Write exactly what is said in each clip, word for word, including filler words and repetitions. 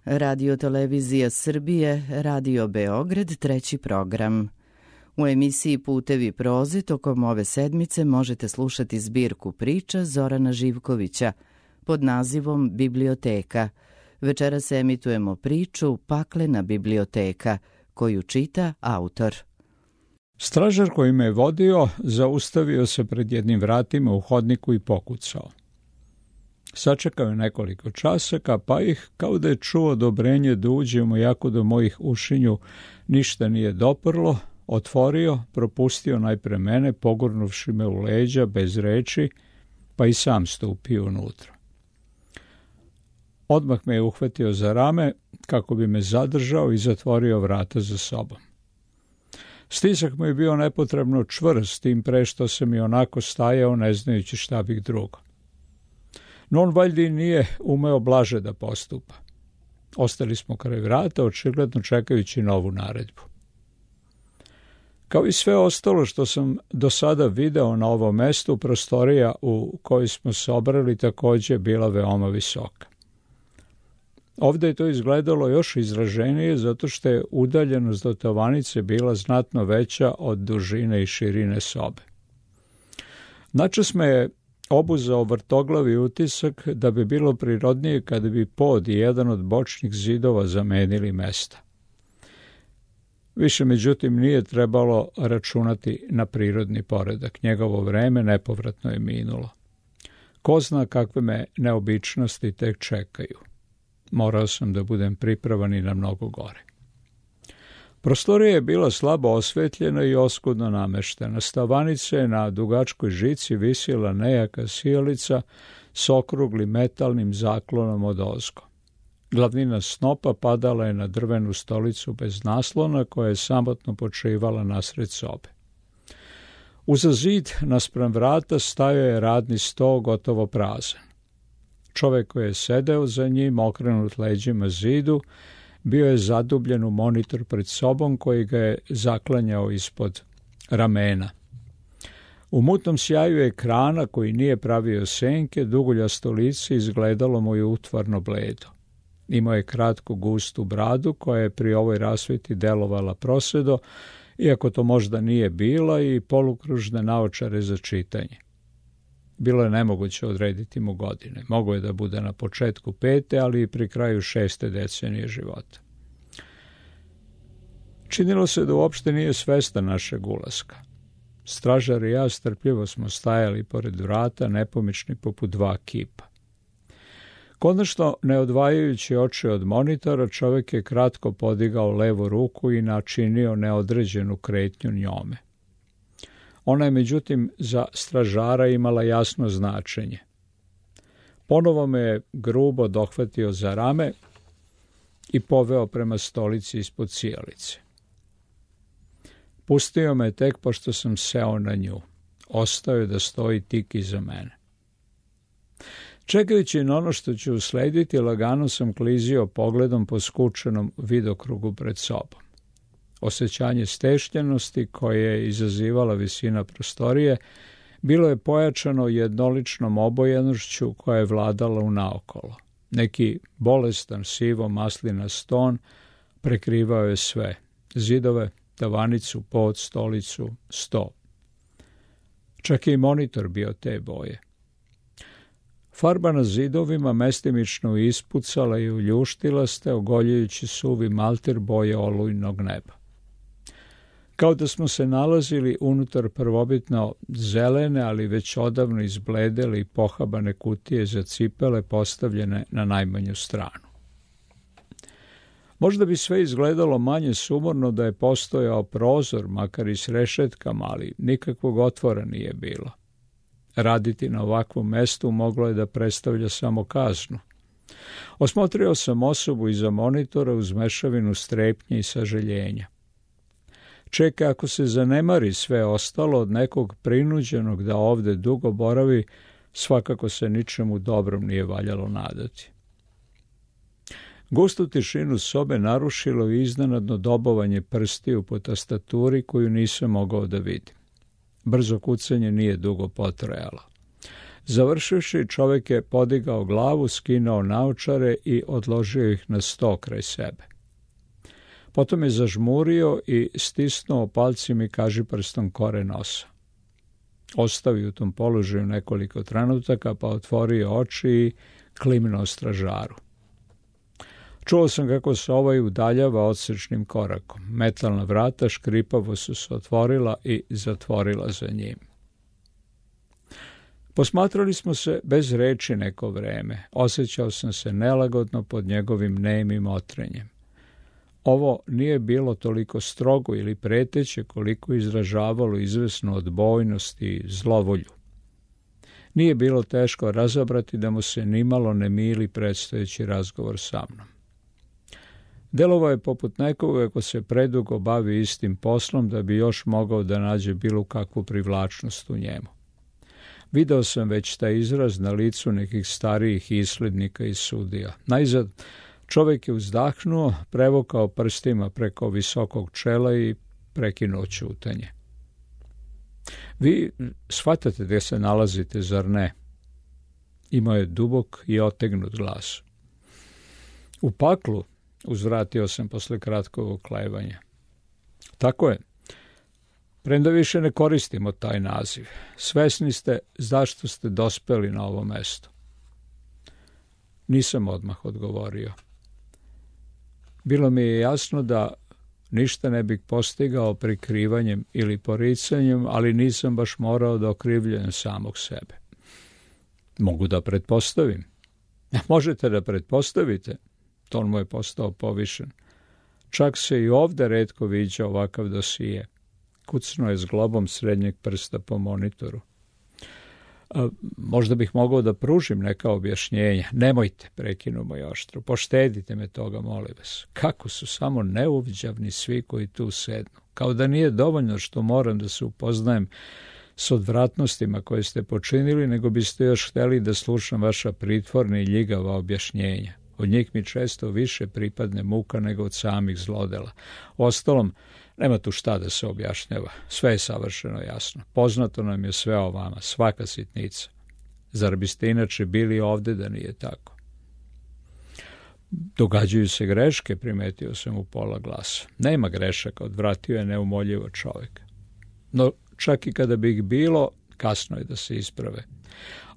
Radio Televizija Srbije, Radio Beograd, treći program. U emisiji Putevi proze tokom ove sedmice možete slušati zbirku priča Zorana Živkovića pod nazivom Biblioteka. Večeras emitujemo priču Paklena biblioteka, koju čita autor. Stražar koji me je vodio zaustavio se pred jednim vratima u hodniku i pokucao. Sačekao je nekoliko časaka, pa ih, kao da je čuo odobrenje da uđemo, jako do mojih ušinju ništa nije doprlo, otvorio, propustio najpre mene, pogurnuvši me u leđa bez reči, pa i sam stupio unutra. Odmah me je uhvatio za rame kako bi me zadržao i zatvorio vrata za sobom. Stisak mu je bio nepotrebno čvrst, tim pre što sam i onako stajao ne znajući šta bih drugo. No on valjda nije umeo blaže da postupa. Ostali smo kraj vrata, očigledno čekajući novu naredbu. Kao i sve ostalo što sam do sada video na ovom mestu, prostorija u kojoj smo se obrali također bila veoma visoka. Ovdje je to izgledalo još izraženije zato što je udaljenost do tavanice bila znatno veća od dužine i širine sobe. Načas me je obuzao vrtoglavi utisak da bi bilo prirodnije kada bi pod i jedan od bočnih zidova zamenili mesta. Više, međutim, nije trebalo računati na prirodni poredak. Njegovo vreme nepovratno je minulo. Ko zna kakve me neobičnosti tek čekaju. Morao sam da budem pripravan i na mnogo gore. Prostorija je bila slabo osvetljena i oskudno nameštena. S tavanice na dugačkoj žici visila nejaka sijalica s okruglim metalnim zaklonom od ozgo. Glavnina snopa padala je na drvenu stolicu bez naslona koja je samotno počivala nasred sobe. Uza zid, naspram vrata, stajao je radni sto gotovo prazan. Čovjek koji je sedeo za njim, okrenut leđima zidu, bio je zadubljen u monitor pred sobom koji ga je zaklanjao ispod ramena. U mutnom sjaju ekrana koji nije pravio senke, duguljasto lice izgledalo mu je utvarno bledo. Imao je kratku gustu bradu koja je pri ovoj rasveti delovala prosedo, iako to možda nije bila, i polukružne naočare za čitanje. Bilo je nemoguće odrediti mu godine. Mogo je da bude na početku pete, ali i pri kraju šeste decenije života. Činilo se da uopšte nije svestan našeg ulaska. Stražar i ja strpljivo smo stajali pored vrata, nepomični poput dva kipa. Konačno, ne odvajajući oči od monitora, čovjek je kratko podigao levu ruku i načinio neodređenu kretnju njome. Ona je, međutim, za stražara imala jasno značenje. Ponovo me je grubo dohvatio za rame i poveo prema stolici ispod sijalice. Pustio me tek pošto sam seo na nju. Ostao je da stoji tik iza mene. Čekajući na ono što će uslediti, lagano sam klizio pogledom po skučenom vidokrugu pred sobom. Osjećanje stešljenosti koje je izazivala visina prostorije bilo je pojačano jednoličnom obojenošću koja je vladala u naokolo. Neki bolestan sivo maslinast ton prekrivao je sve. Zidove, tavanicu, pod, stolicu, sto. Čak je i monitor bio te boje. Farba na zidovima mestimično ispucala i uljuštila ste, ogoljujući suvi malter boje olujnog neba. Kao da smo se nalazili unutar prvobitno zelene, ali već odavno izbledele i pohabane kutije za cipele postavljene na najmanju stranu. Možda bi sve izgledalo manje sumorno da je postojao prozor, makar i s rešetkama, ali nikakvog otvora nije bilo. Raditi na ovakvom mestu moglo je da predstavlja samo kaznu. Osmotrio sam osobu iza monitora uz mešavinu strepnje i sažaljenja. Čeka ako se zanemari sve ostalo od nekog prinuđenog da ovde dugo boravi, svakako se ničemu dobrom nije valjalo nadati. Gustu tišinu sobe narušilo i iznenadno dobovanje prstiju po tastaturi koju nisam mogao da vidim. Brzo kucanje nije dugo potrajalo. Završivši, čovjek je podigao glavu, skinuo naočare i odložio ih na sto kraj sebe. Potom je zažmurio i stisnuo palcima i kažiprstom kore nosa. Ostavio u tom položaju nekoliko trenutaka, pa otvorio oči i klimnuo stražaru. Čuo sam kako se ovaj udaljava odsečnim korakom. Metalna vrata škripavo su se otvorila i zatvorila za njim. Posmatrali smo se bez reči neko vreme. Osjećao sam se nelagodno pod njegovim nemim otrenjem. Ovo nije bilo toliko strogo ili preteće koliko izražavalo izvesnu odbojnost i zlovolju. Nije bilo teško razabrati da mu se nimalo ne mili predstojeći razgovor sa mnom. Delovao je poput nekoga ko se predugo bavi istim poslom da bi još mogao da nađe bilo kakvu privlačnost u njemu. Video sam već taj izraz na licu nekih starijih islednika i sudija. Najzad, čovjek je uzdahnuo, prevukao prstima preko visokog čela i prekinuo ćutanje. Vi shvatate gdje se nalazite, zar ne? Imao je dubok i otegnut glas. U paklu, uzvratio sam posle kratkog oklevanja. Tako je. Premda više ne koristimo taj naziv. Svesni ste zašto ste dospeli na ovo mesto. Nisam odmah odgovorio. Bilo mi je jasno da ništa ne bih postigao prikrivanjem ili poricanjem, ali nisam baš morao da okrivljujem samog sebe. Mogu da pretpostavim. Možete da pretpostavite. Ton mu je postao povišen. Čak se i ovdje retko viđa ovakav dosije. Kucnuo je s globom srednjeg prsta po monitoru. A, možda bih mogao da pružim neka objašnjenja. Nemojte, prekinuo moj oštro. Poštedite me toga, molim vas. Kako su samo neuviđavni svi koji tu sednu. Kao da nije dovoljno što moram da se upoznajem s odvratnostima koje ste počinili, nego biste još htjeli da slušam vaša pritvorna i ljigava objašnjenja. Od njih mi često više pripadne muka nego od samih zlodela. Ostalom, nema tu šta da se objašnjava. Sve je savršeno jasno. Poznato nam je sve o vama, svaka sitnica. Zar biste inače bili ovdje da nije tako? Događaju se greške, primetio sam u pola glasa. Nema grešaka, odvratio je neumoljivo čovjek. No, čak i kada bi ih bilo, kasno je da se isprave.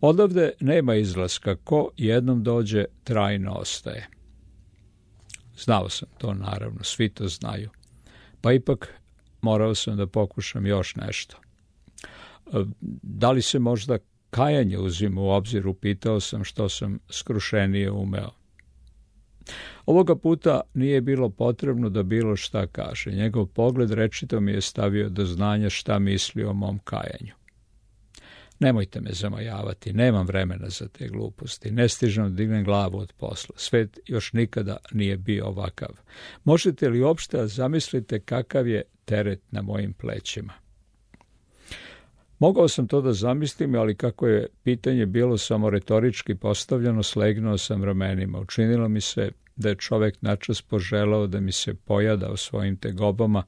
Odavde nema izlaska, ko jednom dođe, trajno ostaje. Znao sam to, naravno, svi to znaju. Pa ipak morao sam da pokušam još nešto. Da li se možda kajanje uzima u obzir, upitao sam što sam skrušenije umeo. Ovoga puta nije bilo potrebno da bilo šta kaže. Njegov pogled rečito mi je stavio do znanja šta misli o mom kajanju. Nemojte me zamajavati, nemam vremena za te gluposti, ne stižem da dignem glavu od posla, svet još nikada nije bio ovakav. Možete li uopšte zamislite kakav je teret na mojim plećima? Mogao sam to da zamislim, ali kako je pitanje bilo samo retorički postavljeno, slegnuo sam ramenima. Učinilo mi se da je čovjek načas poželao da mi se pojada o svojim tegobama,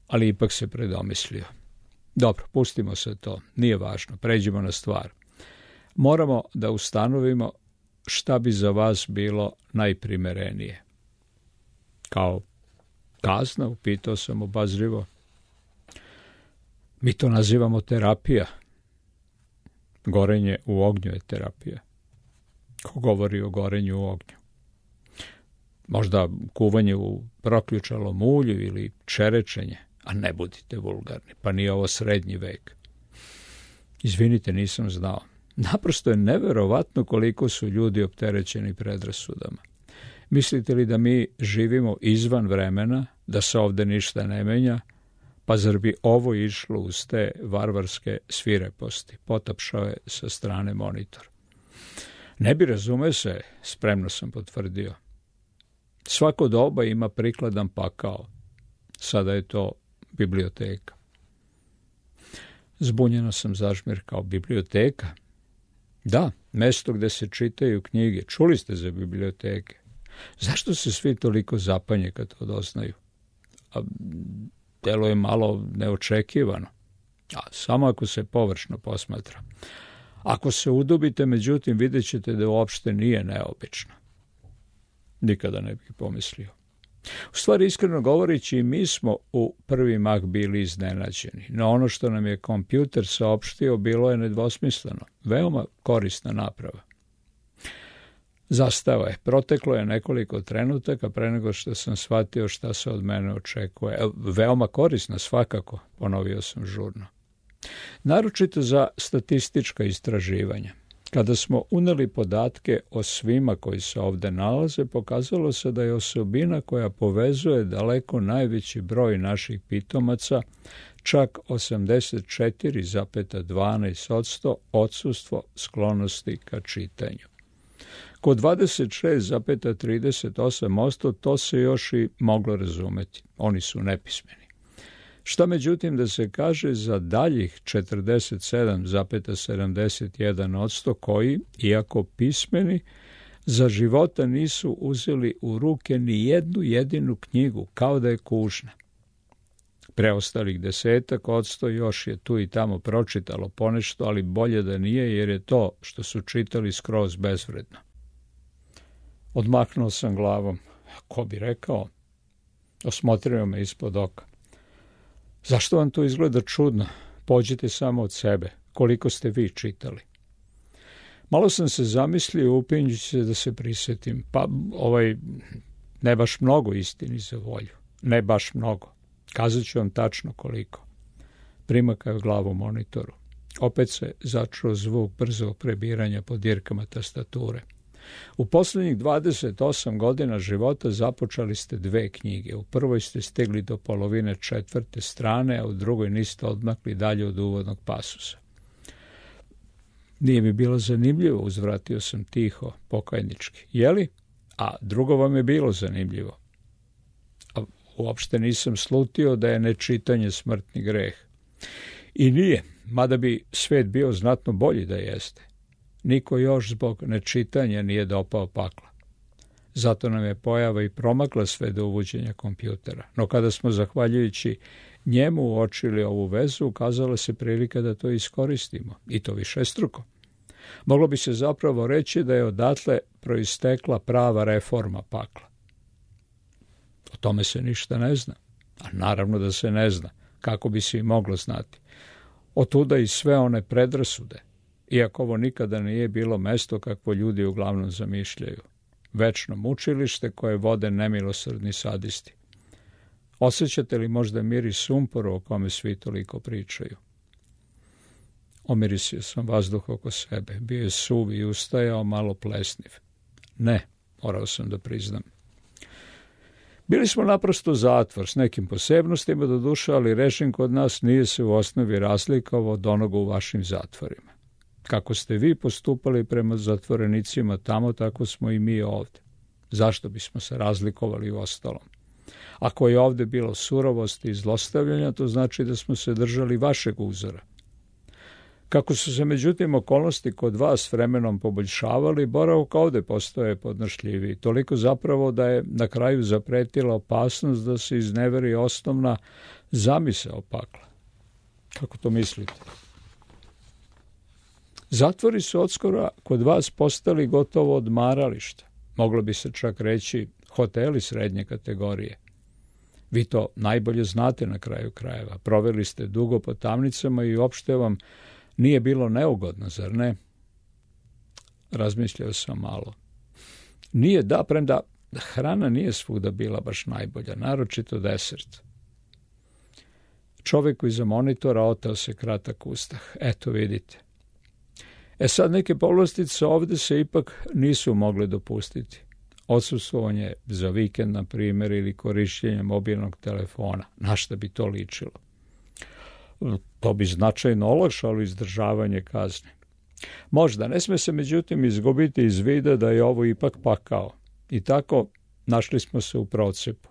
ali ipak se predomislio. Dobro, pustimo se to, nije važno, pređimo na stvar. Moramo da ustanovimo šta bi za vas bilo najprimerenije. Kao kazna, upitao sam obazrivo. Mi to nazivamo terapija. Gorenje u ognju je terapija. Ko govori o gorenju u ognju? Možda kuvanje u proključalom ulju ili čerečenje. A ne budite vulgarni, pa nije ovo srednji vek. Izvinite, nisam znao. Naprosto je neverovatno koliko su ljudi opterećeni predrasudama. Mislite li da mi živimo izvan vremena, da se ovdje ništa ne menja? Pa zar bi ovo išlo uz te varvarske svireposti? Potapšao je sa strane monitor. Ne bi, razume se, spremno sam potvrdio. Svako doba ima prikladan pakao. Sada je to biblioteka. Zbunjeno sam zažmirkao. Biblioteka? Da, mesto gde se čitaju knjige. Čuli ste za biblioteke? Zašto se svi toliko zapanje kad to doznaju? A delo je malo neočekivano. A samo ako se površno posmatra. Ako se udubite, međutim, vidjet ćete da uopšte nije neobično. Nikada ne bih pomislio. U stvari, iskreno govoreći, i mi smo u prvi mah bili iznenađeni. No ono što nam je kompjuter saopštio bilo je nedvosmisleno. Veoma korisna naprava. Zastao je. Proteklo je nekoliko trenutaka pre nego što sam shvatio šta se od mene očekuje. Veoma korisna, svakako, ponovio sam žurno. Naročito za statistička istraživanja. Kada smo uneli podatke o svima koji se ovde nalaze, pokazalo se da je osobina koja povezuje daleko najveći broj naših pitomaca, čak osamdeset četiri zarez dvanaest posto odsustvo sklonosti ka čitanju. Kod dvadeset šest zarez trideset osam posto to se još i moglo razumeti. Oni su nepismeni. Šta međutim da se kaže za daljih četrdeset sedam zarez sedamdeset jedan posto koji, iako pismeni, za života nisu uzeli u ruke ni jednu jedinu knjigu, kao da je kužna. Preostalih desetak odsto još je tu i tamo pročitalo ponešto, ali bolje da nije, jer je to što su čitali skroz bezvredno. Odmahnuo sam glavom. Ko bi rekao? Osmotrio me ispod oka. Zašto vam to izgleda čudno? Pođite samo od sebe. Koliko ste vi čitali? Malo sam se zamislio, upinjući se da se prisjetim. Pa, ovaj, ne baš mnogo, istini za volju. Ne baš mnogo. Kazat ću vam tačno koliko. Primakao glavu monitoru. Opet se začuo zvuk brzog prebiranja po dirkama tastature. U posljednjih dvadeset osam godina života započeli ste dve knjige. U prvoj ste stigli do polovine četvrte strane, a u drugoj niste odmakli dalje od uvodnog pasusa. Nije mi bilo zanimljivo, uzvratio sam tiho, pokajnički. Jeli? A drugo vam je bilo zanimljivo. A uopšte nisam slutio da je nečitanje smrtni greh. I nije, mada bi svet bio znatno bolji da jeste. Niko još zbog nečitanja nije dopao pakla. Zato nam je pojava i promakla sve do uvođenja kompjutera. No kada smo, zahvaljujući njemu, uočili ovu vezu, ukazala se prilika da to iskoristimo. I to višestruko. Moglo bi se zapravo reći da je odatle proistekla prava reforma pakla. O tome se ništa ne zna. A naravno da se ne zna. Kako bi se i moglo znati. Otuda i sve one predrasude. Iako ovo nikada nije bilo mesto kakvo ljudi uglavnom zamišljaju. Večno mučilište koje vode nemilosrdni sadisti. Osjećate li možda miris sumpora o kome svi toliko pričaju? Omirisio sam vazduh oko sebe. Bio je suv i ustajao, malo plesniv. Ne, morao sam da priznam. Bili smo naprosto zatvor s nekim posebnostima do duša, ali režim kod nas nije se u osnovi razlikovao od onoga u vašim zatvorima. Kako ste vi postupali prema zatvorenicima tamo, tako smo i mi ovde. Zašto bismo se razlikovali u ostalom? Ako je ovde bilo surovosti i zlostavljanja, to znači da smo se držali vašeg uzora. Kako su se međutim okolnosti kod vas vremenom poboljšavali, boravak ovde postoje podnošljiviji. Toliko zapravo da je na kraju zapretila opasnost da se izneveri osnovna zamisao pakla. Kako to mislite? Zatvori su odskora kod vas postali gotovo odmarališta. Moglo bi se čak reći hoteli srednje kategorije. Vi to najbolje znate na kraju krajeva. Proveli ste dugo po tamnicama i uopšte vam nije bilo neugodno, zar ne? Razmišljao sam malo. Nije, da, premda hrana nije svuda bila baš najbolja, naročito desert. Čovjek iza monitora oteo se kratak ustah. Eto vidite. E sad, neke povlastice ovde se ipak nisu mogle dopustiti. Odsustvovanje za vikend, na primjer, ili korišćenje mobilnog telefona. Na šta bi to ličilo? To bi značajno olakšalo izdržavanje kazne. Možda, ne sme se međutim izgubiti iz vida da je ovo ipak pakao. I tako našli smo se u procepu.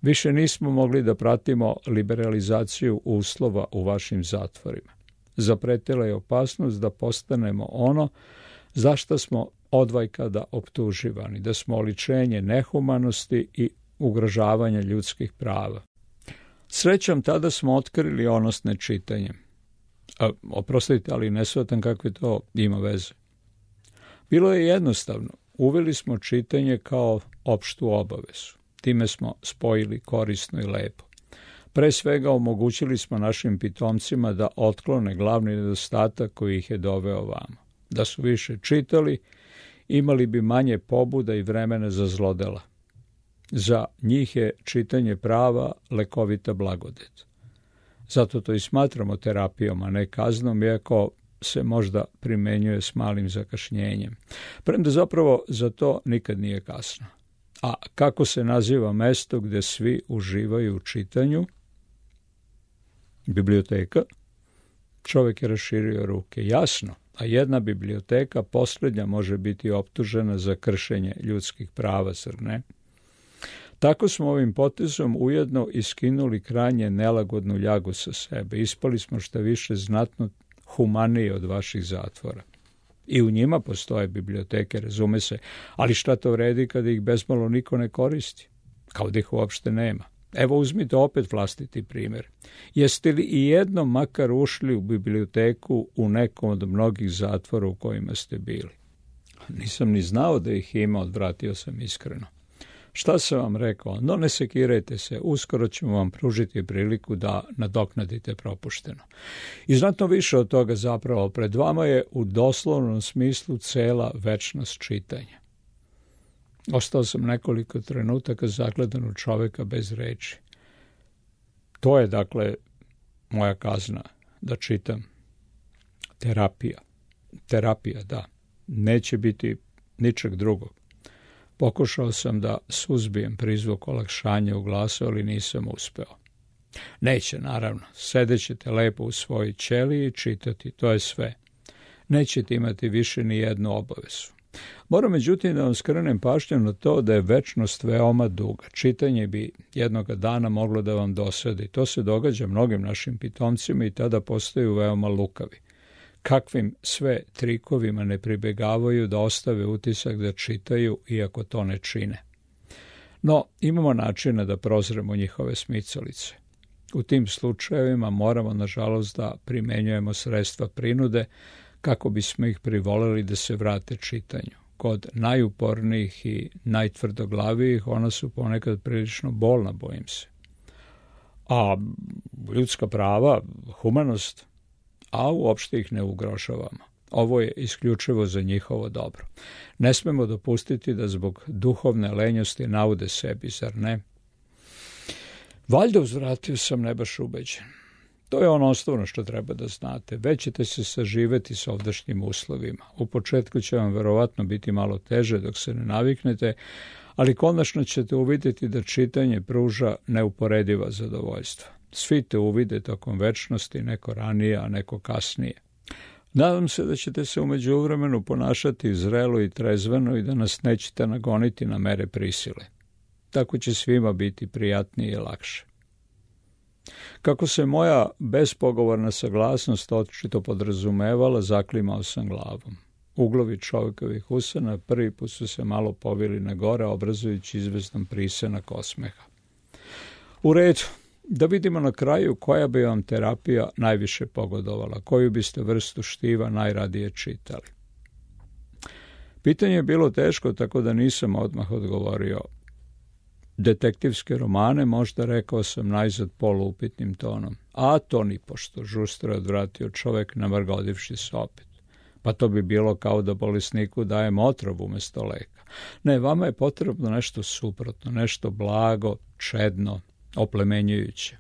Više nismo mogli da pratimo liberalizaciju uslova u vašim zatvorima. Zapretila je opasnost da postanemo ono za što smo odvajkada optuživani, da smo oličenje nehumanosti i ugrožavanja ljudskih prava. Srećom, tada smo otkrili ono s nečitanjem. A, oprostite, ali ne shvatam kakve to ima veze. Bilo je jednostavno. Uveli smo čitanje kao opštu obavezu. Time smo spojili korisno i lepo. Pre svega omogućili smo našim pitomcima da otklone glavni nedostatak koji ih je doveo vamo. Da su više čitali, imali bi manje pobuda i vremena za zlodela. Za njih je čitanje prava lekovita blagodet. Zato to i smatramo terapijom, a ne kaznom, iako se možda primenjuje s malim zakašnjenjem. Premda zapravo za to nikad nije kasno. A kako se naziva mesto gde svi uživaju u čitanju? Biblioteka? Čovjek je raširio ruke. Jasno, a jedna biblioteka posljednja može biti optužena za kršenje ljudskih prava, zar ne? Tako smo ovim potezom ujedno iskinuli krajnje nelagodnu ljagu sa sebe. Ispali smo šta više znatno humaniji od vaših zatvora. I u njima postoje biblioteke, razume se, ali šta to vredi kada ih bezmalo niko ne koristi? Kao da ih uopšte nema. Evo uzmite opet vlastiti primjer. Jeste li i jednom makar ušli u biblioteku u nekom od mnogih zatvora u kojima ste bili? Nisam ni znao da ih ima, odvratio sam iskreno. Šta sam vam rekao? No ne sekirajte se, uskoro ćemo vam pružiti priliku da nadoknadite propušteno. I znatno više od toga zapravo pred vama je u doslovnom smislu cela večnost čitanja. Ostao sam nekoliko trenutaka zagledan u čoveka bez reči. To je, dakle, moja kazna, da čitam. Terapija. Terapija, da. Neće biti ničeg drugog. Pokušao sam da suzbijem prizvuk olakšanja u glasu, ali nisam uspeo. Neće, naravno. Sedećete lepo u svojoj ćeliji i čitati, to je sve. Nećete imati više ni jednu obavezu. Moram međutim da vam skrenem pažnju na to da je večnost veoma duga. Čitanje bi jednoga dana moglo da vam dosadi. To se događa mnogim našim pitomcima i tada postaju veoma lukavi. Kakvim sve trikovima ne pribegavaju da ostave utisak da čitaju, iako to ne čine. No, imamo načina da prozremo njihove smicalice. U tim slučajevima moramo, nažalost, da primenjujemo sredstva prinude kako bismo ih privoleli da se vrate čitanju. Kod najupornijih i najtvrdoglavijih ona su ponekad prilično bolna, bojim se. A ljudska prava, humanost, a uopšte ih ne ugrožavamo. Ovo je isključivo za njihovo dobro. Ne smemo dopustiti da zbog duhovne lenjosti naude sebi, zar ne? Valjda uzvratio sam ne baš ubeđen. To je ono osnovno što treba da znate. Već ćete se saživeti s ovdašnjim uslovima. U početku će vam verovatno biti malo teže dok se ne naviknete, ali konačno ćete uvidjeti da čitanje pruža neuporediva zadovoljstva. Svi te uvide tokom večnosti, neko ranije, a neko kasnije. Nadam se da ćete se u međuvremenu ponašati zrelo i trezveno i da nas nećete nagoniti na mere prisile. Tako će svima biti prijatnije i lakše. Kako se moja bespogovorna saglasnost očito podrazumevala, zaklimao sam glavom. Uglovi čovjekovih usana prvi put su se malo povili na gore, obrazujući izvestan prisenak osmeha. U redu, da vidimo na kraju koja bi vam terapija najviše pogodovala, koju biste vrstu štiva najradije čitali. Pitanje je bilo teško, tako da nisam odmah odgovorio. Detektivske romane, možda rekao sam najzad poluupitnim tonom. A to nipošto, žustro je odvratio čovjek, namrgodivši se opet. Pa to bi bilo kao da bolesniku dajem otrov umjesto leka. Ne, vama je potrebno nešto suprotno, nešto blago, čedno, oplemenjujuće.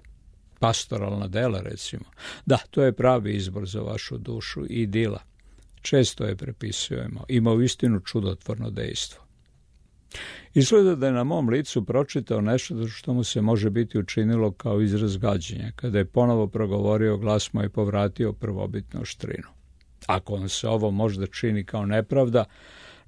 Pastoralna dela, recimo. Da, to je pravi izbor za vašu dušu i idila. Često je prepisujemo. Ima uistinu čudotvorno dejstvo. Izgleda da je na mom licu pročitao nešto što mu se može biti učinilo kao izraz gađenja, kada je ponovo progovorio glasno i povratio prvobitnu oštrinu. Ako vam se ovo možda čini kao nepravda,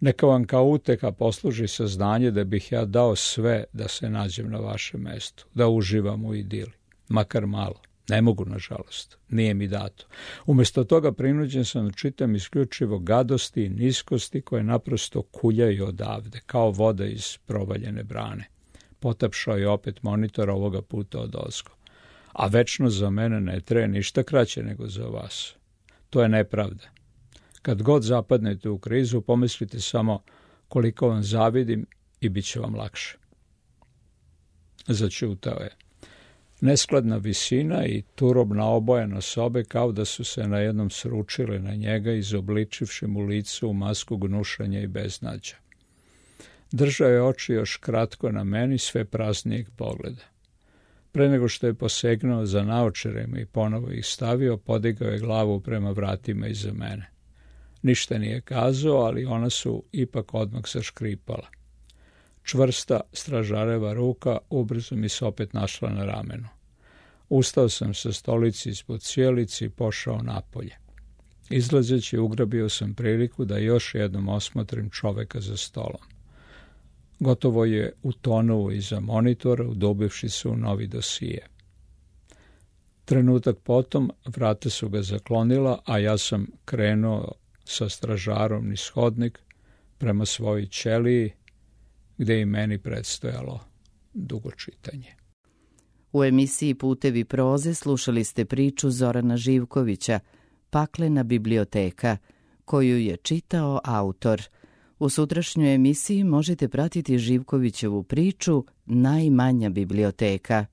neka vam kao uteha posluži saznanje da bih ja dao sve da se nađem na vašem mestu, da uživam u idili, makar malo. Ne mogu, nažalost, nije mi dato. Umjesto toga prinuđen sam da čitam isključivo gadosti i niskosti koje naprosto kuljaju odavde, kao voda iz provaljene brane. Potapšao je opet monitor, ovoga puta odozgo. a večno za mene ne traje ništa kraće nego za vas. To je nepravda. Kad god zapadnete u krizu, pomislite samo koliko vam zavidim i bit će vam lakše. Začutao je. Neskladna visina i turobna obojena sobe kao da su se najednom sručile na njega, izobličivši mu licu u masku gnušanja i beznađa. Držao je oči još kratko na meni, sve praznijeg pogleda. Pre nego što je posegnuo za naočarima i ponovo ih stavio, podigao je glavu prema vratima iza mene. Ništa nije kazao, ali ona su ipak odmah zaškripala. Čvrsta stražareva ruka ubrzo mi se opet našla na ramenu. Ustao sam sa stolici ispod cijelici i pošao napolje. Izlazeći ugrabio sam priliku da još jednom osmotrim čoveka za stolom. Gotovo je utonuo iza monitora, udubivši se u novi dosije. Trenutak potom vrata su ga zaklonila, a ja sam krenuo sa stražarom niz hodnik prema svojoj ćeliji, gde i meni predstojalo dugo čitanje. U emisiji Putevi proze slušali ste priču Zorana Živkovića, Paklena biblioteka, koju je čitao autor. U sutrašnjoj emisiji možete pratiti Živkovićevu priču Najmanja biblioteka.